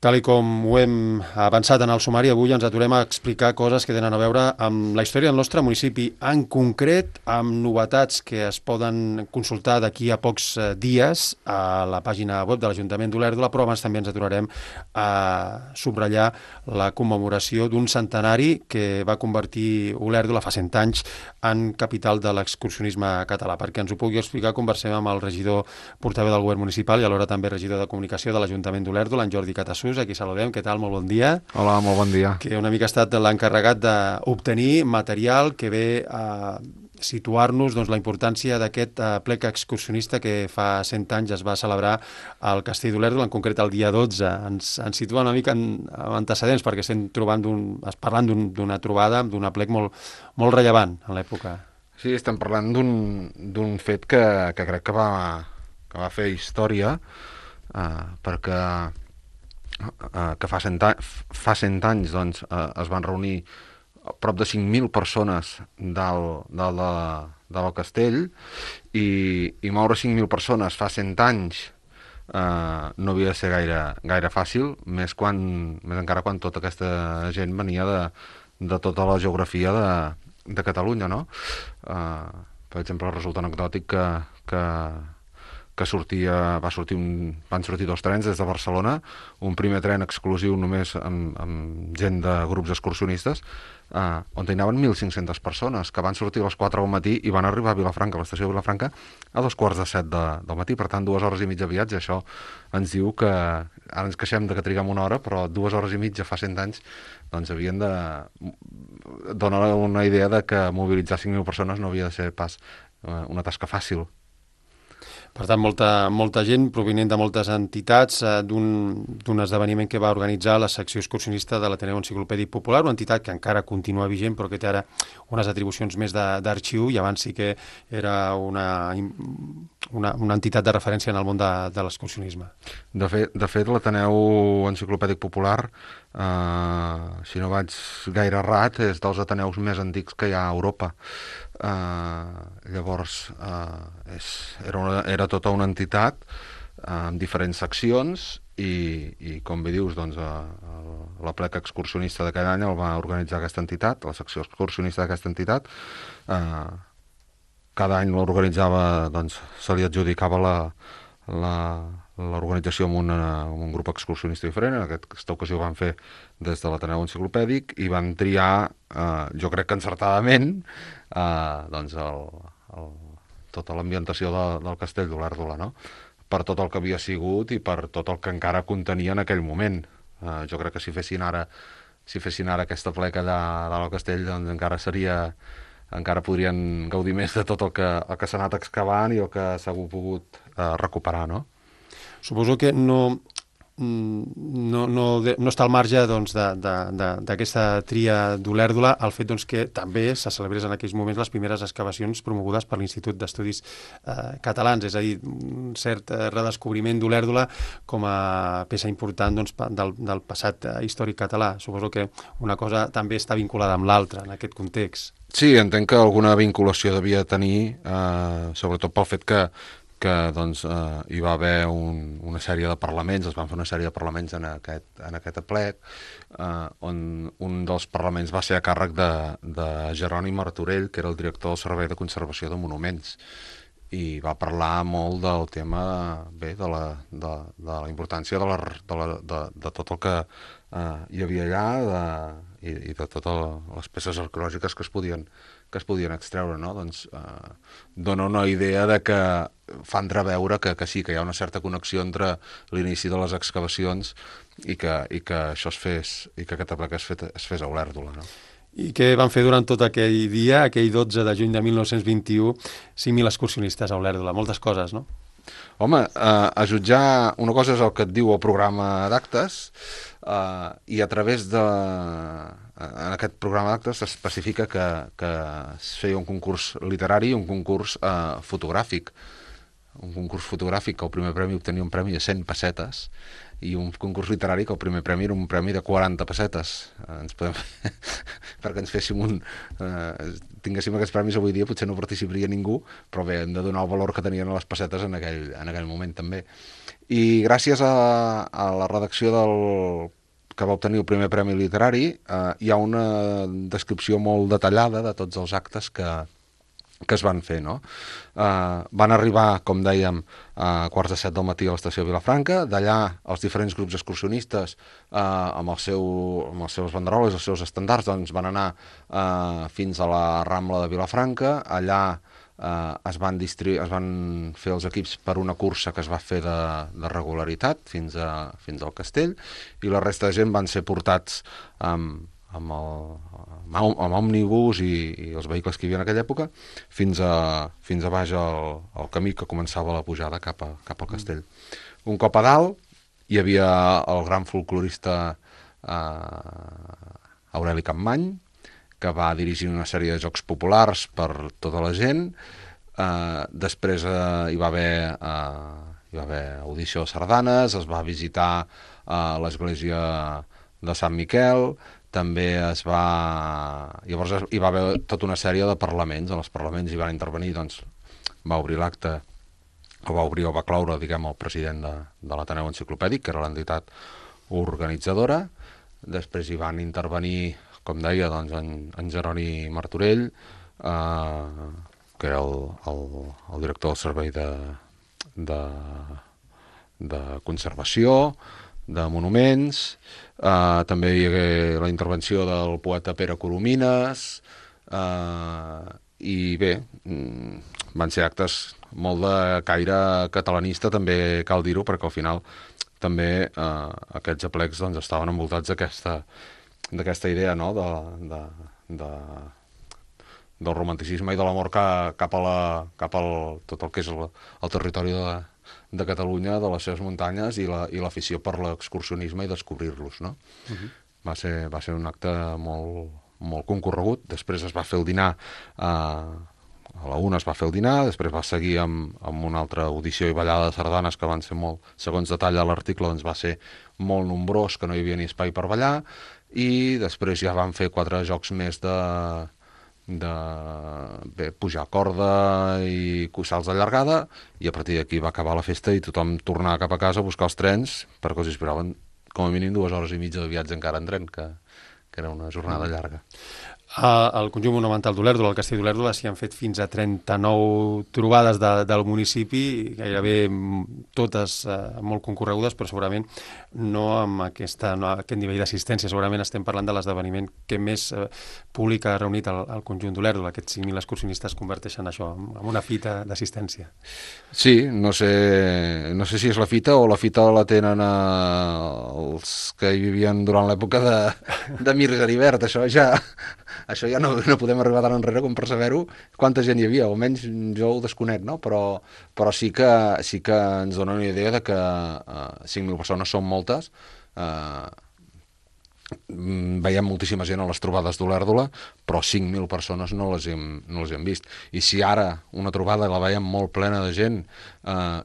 Tal i com ho hem avançat en el sumari, avui ens aturem a explicar coses que tenen a veure amb la història del nostre municipi, en concret amb novetats que es poden consultar d'aquí a pocs dies a la pàgina web de l'Ajuntament d'Olèrdola, però abans també ens aturarem a subratllar la commemoració d'un centenari que va convertir Olèrdola fa 100 anys en capital de l'excursionisme català. Perquè ens ho pugui explicar, conversem amb el regidor portaveu del govern municipal i alhora també regidor de comunicació de l'Ajuntament d'Olèrdola, en Jordi Catassús. Aquí saludem. Què tal? Molt bon dia. Hola, molt bon dia. Que una mica ha estat l'encarregat d'obtenir material que ve a situar-nos la importància d'aquest plec excursionista que fa 100 anys es va celebrar al Castell d'Olèrdola, en concret el dia 12. Ens situa una mica en antecedents perquè estem parlant d'una trobada, d'un plec molt rellevant en l'època. Sí, estem parlant d'un fet que crec que va fer història, perquè que fa 100 anys doncs, es van reunir prop de 5.000 persones del castell i moure 5.000 persones fa 100 anys no havia de ser gaire fàcil, més encara quan tota aquesta gent venia de tota la geografia de Catalunya, no? Per exemple, resulta anecdòtic que van sortir 2 trens des de Barcelona, un primer tren exclusiu només amb gent de grups excursionistes, on hi anaven 1.500 persones, que van sortir a les 4 del matí i van arribar a Vilafranca, a l'estació de Vilafranca, a 2:45 del matí, per tant 2 hores i mitja de viatge. Això ens diu que, ara ens queixem de que triguem 1 hora, però 2 hores i mitja fa 100 anys, doncs havien de donar una idea de que mobilitzar 5.000 persones no havia de ser pas una tasca fàcil. Per tant, molta gent provinent de moltes entitats d'un esdeveniment que va organitzar la secció excursionista de l'Ateneu Enciclopèdic Popular, una entitat que encara continua vigent però que té ara unes atribucions més d'arxiu i abans sí que era una entitat de referència en el món de l'excursionisme. De fet, l'Ateneu Enciclopèdic Popular, si no vaig gaire errat, és dels ateneus més antics que hi ha a Europa. Llavors era tota una entitat amb diferents seccions i com bé dius, doncs, la plec excursionista d'aquell any el va organitzar aquesta entitat, la secció excursionista d'aquesta entitat. Cada any l'organitzava, doncs, se li adjudicava l'organització amb un grup excursionista diferent. En aquesta ocasió ho van fer des de l'Ateneu Enciclopèdic i van triar, jo crec que encertadament, doncs tota l'ambientació del Castell d'Olèrdola, no? Per tot el que havia sigut i per tot el que encara contenia en aquell moment. Jo crec que si fessin ara aquesta pleca del castell, doncs encara podrien gaudir més de tot el que s'ha anat excavant i el que s'ha pogut recuperar, no? Suposo que no està al marge d'aquesta tria d'Olèrdola el fet que també se celebrés en aquells moments les primeres excavacions promogudes per l'Institut d'Estudis Catalans, és a dir, un cert redescobriment d'Olèrdola com a peça important del passat històric català. Suposo que una cosa també està vinculada amb l'altra en aquest context. Sí, entenc que alguna vinculació devia tenir, sobretot pel fet que hi va haver una sèrie de parlaments, es van fer una sèrie de parlaments en aquest aplec, on un dels parlaments va ser a càrrec de Jeroni Martorell, que era el director del Servei de Conservació de Monuments, i va parlar molt del tema, bé, de la importància de tot el que hi havia allà i de totes les peces arqueològiques que es podien extreure, no? Doncs dona una idea de que fa entreveure que sí, que hi ha una certa connexió entre l'inici de les excavacions i que això es fes, i que aquest aplec es fes a Olèrdola, no? I què van fer durant tot aquell dia, aquell 12 de juny de 1921, 5.000 excursionistes a Olèrdola? Moltes coses, no? Home, a jutjar, una cosa és el que et diu el programa d'actes, i a través en aquest programa d'actes s'especifica que es feia un concurs literari i un concurs fotogràfic. Un concurs fotogràfic que el primer premi obtenia un premi de 100 pessetes i un concurs literari que el primer premi era un premi de 40 pessetes. Ens podem perquè ens féssim tinguéssim aquests premis avui dia, potser no participaria ningú, però bé, hem de donar el valor que tenien les pessetes en aquell moment també. I gràcies a la redacció que va obtenir el primer premi literari, hi ha una descripció molt detallada de tots els actes que es van fer, no? Van arribar, com dèiem, a 6:45 del matí a l'estació de Vilafranca. D'allà, els diferents grups excursionistes, amb els seus banderoles, els seus estandards, doncs van anar fins a la Rambla de Vilafranca. Allà es van fer els equips per una cursa que es va fer de regularitat fins al castell, i la resta de gent van ser portats amb òmnibus i els vehicles que hi havia en aquella època fins a baix al camí que començava la pujada cap al castell. Un cop a dalt hi havia el gran folclorista Aureli Capmany, que va dirigir una sèrie de jocs populars per tota la gent. Després hi va haver audició de sardanes, es va visitar l'església de Sant Miquel, també llavors hi va haver tota una sèrie de parlaments. En els parlaments hi van intervenir, doncs va obrir l'acte, o va claure, diguem, el president de l'Ateneu Enciclopèdic, que era l'entitat organitzadora. Després hi van intervenir, com deia, doncs, en Jeroni Martorell, que era el director del servei de conservació, de monuments. També hi hagué la intervenció del poeta Pere Coromines, i bé, van ser actes molt de caire catalanista, també cal dir-ho, perquè al final també aquests aplecs doncs, estaven envoltats d'aquesta idea, no?, del romanticisme i de l'amor cap al tot el que és el territori de Catalunya, de les seves muntanyes, i l'afició per l'excursionisme i descobrir-los, no? Va ser un acte molt concorregut. Després es va fer el dinar, a la 1 es va fer el dinar, després va seguir amb una altra audició i ballada de sardanes que van ser molt, segons detalla l'article, doncs va ser molt nombrós, que no hi havia ni espai per ballar, i després ja van fer 4 jocs més de pujar corda i salts de llargada, i a partir d'aquí va acabar la festa i tothom tornava cap a casa a buscar els trens, perquè els esperaven com a mínim 2 hores i mitja de viatge encara en tren, que era una jornada llarga. Al conjunt monumental d'Olèrdola, al castell d'Olèrdola, s'hi han fet fins a 39 trobades del municipi, gairebé totes molt concorregudes, però segurament no amb aquest nivell d'assistència. Segurament estem parlant de l'esdeveniment que més públic ha reunit al conjunt d'Olèrdola. Aquests 5.000 excursionistes converteixen això en una fita d'assistència. Sí, no sé si és la fita o la fita la tenen els que hi vivien durant l'època de Mir Geribert. Això ja no podem arribar tan enrere com per saber-ho quanta gent hi havia, almenys jo ho desconec, no? Però sí que ens dona una idea de que 5.000 persones són moltes. Veiem moltíssima gent a les trobades d'Olèrdola, però 5.000 persones no les hem vist. I si ara una trobada la veiem molt plena de gent,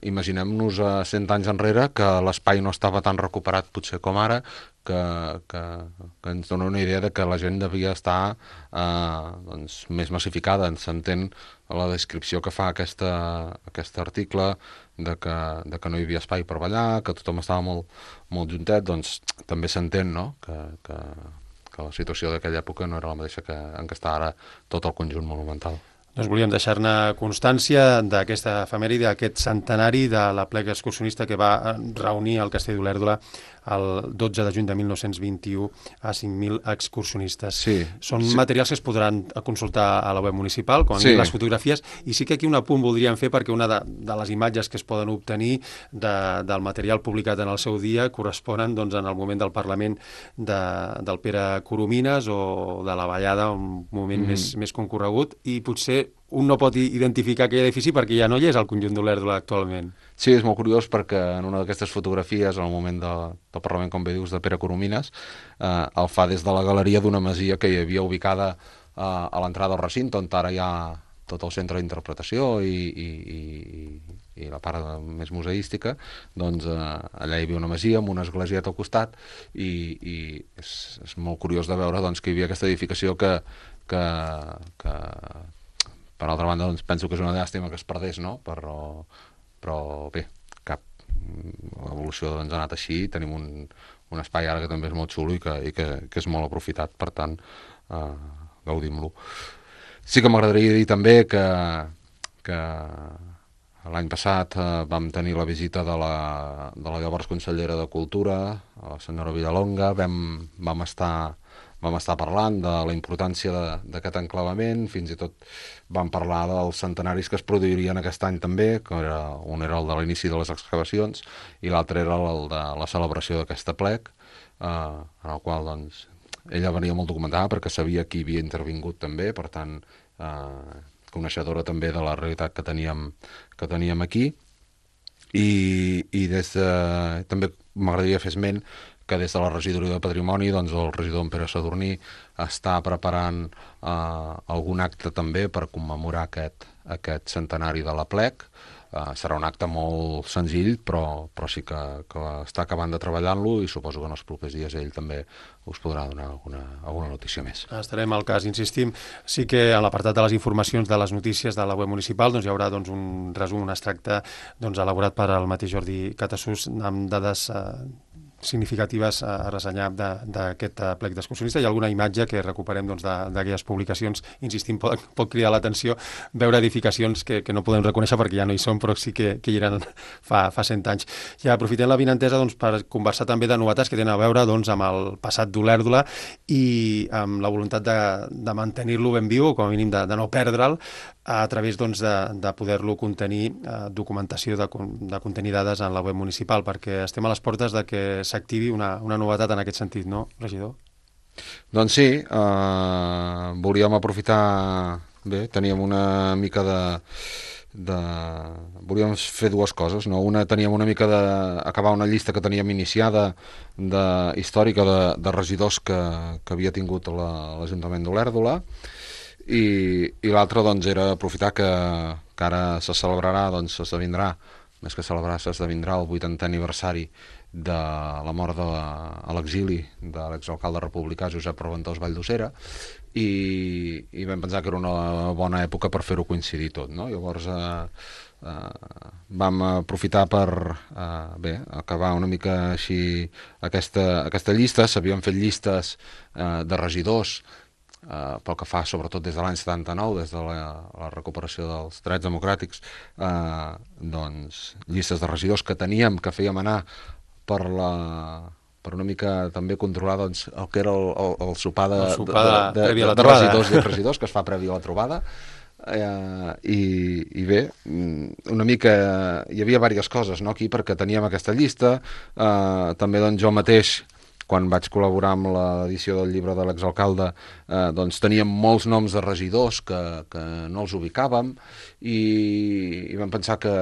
imaginem-nos 100 anys enrere, que l'espai no estava tan recuperat potser com ara, que ens dona una idea de que la gent devia estar més massificada. Ens s'entén la descripció que fa aquest article de que no hi havia espai per ballar, que tothom estava molt juntet, doncs també s'entén, no?, que la situació d'aquella època no era la mateixa en què està ara tot el conjunt monumental. Doncs volíem deixar-ne constància d'aquesta efemèride, d'aquest centenari de l'apleg excursionista que va reunir al castell d'Olèrdola el 12 de juny de 1921 a 5.000 excursionistes. Sí, Són materials que es podran consultar a la web municipal, com les fotografies, i sí que aquí un apunt voldríem fer, perquè una de les imatges que es poden obtenir del material publicat en el seu dia corresponen doncs, en el moment del Parlament del Pere Coromines o de la ballada, un moment més concorregut, i potser un no pot identificar aquell edifici perquè ja no hi és al conjunt d'Olèrdola actualment. Sí, és molt curiós perquè en una d'aquestes fotografies, en el moment del Parlament, com bé dius, de Pere Coromines, el fa des de la galeria d'una masia que hi havia ubicada a l'entrada del recinte, on ara hi ha tot el centre d'interpretació i la part més museística, doncs allà hi havia una masia amb una esglésieta al costat i és molt curiós de veure doncs, que hi havia aquesta edificació que per altra banda doncs, penso que és una llàstima que es perdés, no? Però bé, l'evolució doncs, ha anat així, tenim un espai ara que també és molt xulo i que és molt aprofitat, per tant gaudim-lo. Sí que m'agradaria dir també que l'any passat vam tenir la visita de la llavors consellera de Cultura, la senyora Villalonga, vam estar parlant de la importància d'aquest enclavament, fins i tot vam parlar dels centenaris que es produirien aquest any també, que un era el de l'inici de les excavacions i l'altre era el de la celebració d'aquesta plec, en el qual doncs, ella venia molt documentada perquè sabia qui havia intervingut també, per tant, coneixedora també de la realitat que teníem aquí. I també m'agradaria fer esment que des de la regidoria de Patrimoni doncs, el regidor en Pere Sadurní està preparant algun acte també per commemorar aquest centenari de la plec. Serà un acte molt senzill, però sí que està acabant de treballar-lo i suposo que en els propers dies ell també us podrà donar alguna notícia més. Estarem al cas, insistim. Sí que a l'apartat de les informacions de les notícies de la web municipal doncs, hi haurà doncs, un resum, un extracte doncs, elaborat per el mateix Jordi Catasús amb dades significatives a ressenyar d'aquest plec d'excursionista. Hi ha alguna imatge que recuperem doncs, d'aquelles publicacions. Insistim, pot cridar l'atenció veure edificacions que no podem reconèixer perquè ja no hi són, però sí que hi eren fa 100 anys. I aprofitem la vinentesa doncs, per conversar també de novetats que tenen a veure doncs, amb el passat d'Olèrdola i amb la voluntat de mantenir-lo ben viu, o com a mínim de no perdre'l, a través doncs, de poder-lo contenir, documentació de contenir dades en la web municipal, perquè estem a les portes de que s'activi una novetat en aquest sentit, no, regidor? Doncs sí, volíem aprofitar... Bé, teníem una mica volíem fer dues coses, no? Una, teníem una mica d'acabar una llista que teníem iniciada històrica de regidors que havia tingut l'Ajuntament d'Olèrdola, i l'altre doncs, era aprofitar que ara se celebrarà, doncs s'esdevindrà, més que celebrar, s'esdevindrà el 80è aniversari de la mort a l'exili de l'exalcalde republicà Josep Reventós Valldosera, i vam pensar que era una bona època per fer-ho coincidir tot, no? Llavors vam aprofitar per acabar una mica així aquesta llista. S'havien fet llistes de regidors pel que fa sobretot des de l'any 79, des de la recuperació dels drets democràtics, doncs llistes de regidors que teníem, que fèiem anar per una mica també controlar doncs, el que era el sopar de regidors i regidors que es fa previ a la trobada. I bé, una mica hi havia diverses coses, no, aquí, perquè teníem aquesta llista. També doncs, jo mateix, quan vaig col·laborar amb l'edició del llibre de l'exalcalde, doncs teníem molts noms de regidors que no els ubicàvem, i vam pensar que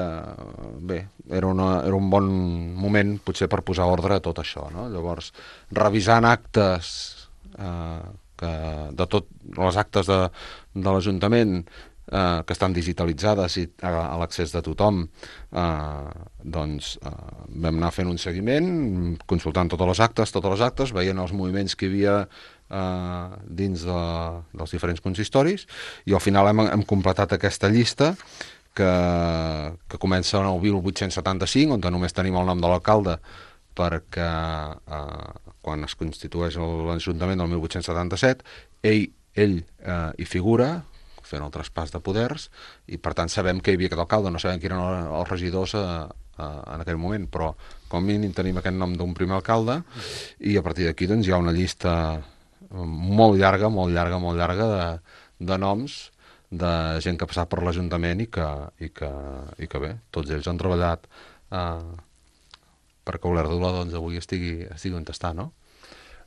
bé, era un bon moment potser per posar ordre a tot això, no? Llavors, revisant actes de tot les actes de l'Ajuntament que estan digitalitzades i a l'accés de tothom, doncs vam anar fent un seguiment, consultant totes les actes, veient els moviments que hi havia dins dels diferents consistoris, i al final hem completat aquesta llista que comença en el 1875, on només tenim el nom de l'alcalde, perquè quan es constitueix l'Ajuntament del 1877, ell hi figura, fent el traspàs de poders, i per tant sabem que hi havia aquest alcalde, no sabem qui eren els regidors en aquell moment, però com a mínim tenim aquest nom d'un primer alcalde, i a partir d'aquí doncs, hi ha una llista molt llarga de noms de gent que ha passat per l'Ajuntament i que bé, tots ells han treballat perquè Olèrdola doncs, avui estigui on està, no?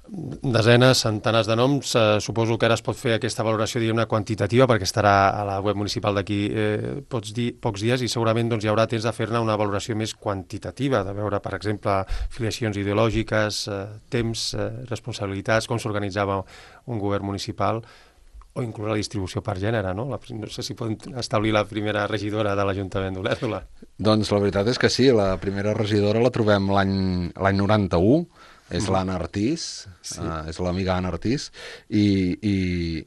Desenes, centenars de noms. Suposo que ara es pot fer aquesta valoració quantitativa perquè estarà a la web municipal d'aquí pocs dies, i segurament doncs, hi haurà temps de fer-ne una valoració més quantitativa, de veure, per exemple, filiacions ideològiques, temps, responsabilitats, com s'organitzava un govern municipal, o inclús la distribució per gènere, no? No sé si poden establir la primera regidora de l'Ajuntament d'Olèrdola. Doncs la veritat és que sí, la primera regidora la trobem l'any 91, és l'Anna Artís, Sí. és l'amiga Anna Artís, i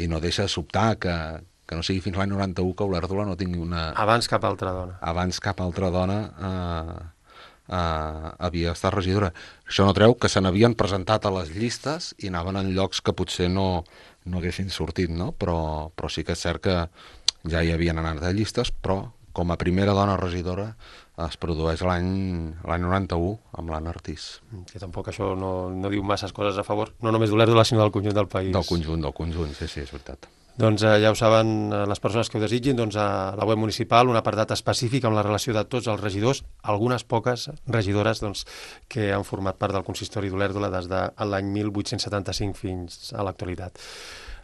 no deixa de sobtar que no sigui fins l'any 91 que Olèrdola no tingui una... Abans cap altra dona. Abans cap altra dona havia estat regidora. Això no treu que se n'havien presentat a les llistes i anaven en llocs que potser no haguessin sortit, no? Però sí que és cert que ja hi havien anat a llistes, però com a primera dona regidora es produeix l'any 91 amb l'Anna Artís. Que tampoc això no diu masses coses a favor, no només d'Olèrdola, sinó del conjunt del país. Del conjunt, sí, és veritat. Doncs ja ho saben les persones que ho desitgin, doncs a la web municipal un apartat específic amb la relació de tots els regidors, algunes poques regidores doncs, que han format part del consistori d'Olèrdola des de l'any 1875 fins a l'actualitat.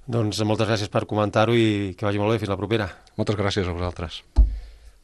Doncs moltes gràcies per comentar-ho i que vagi molt bé. Fins la propera. Moltes gràcies a vosaltres.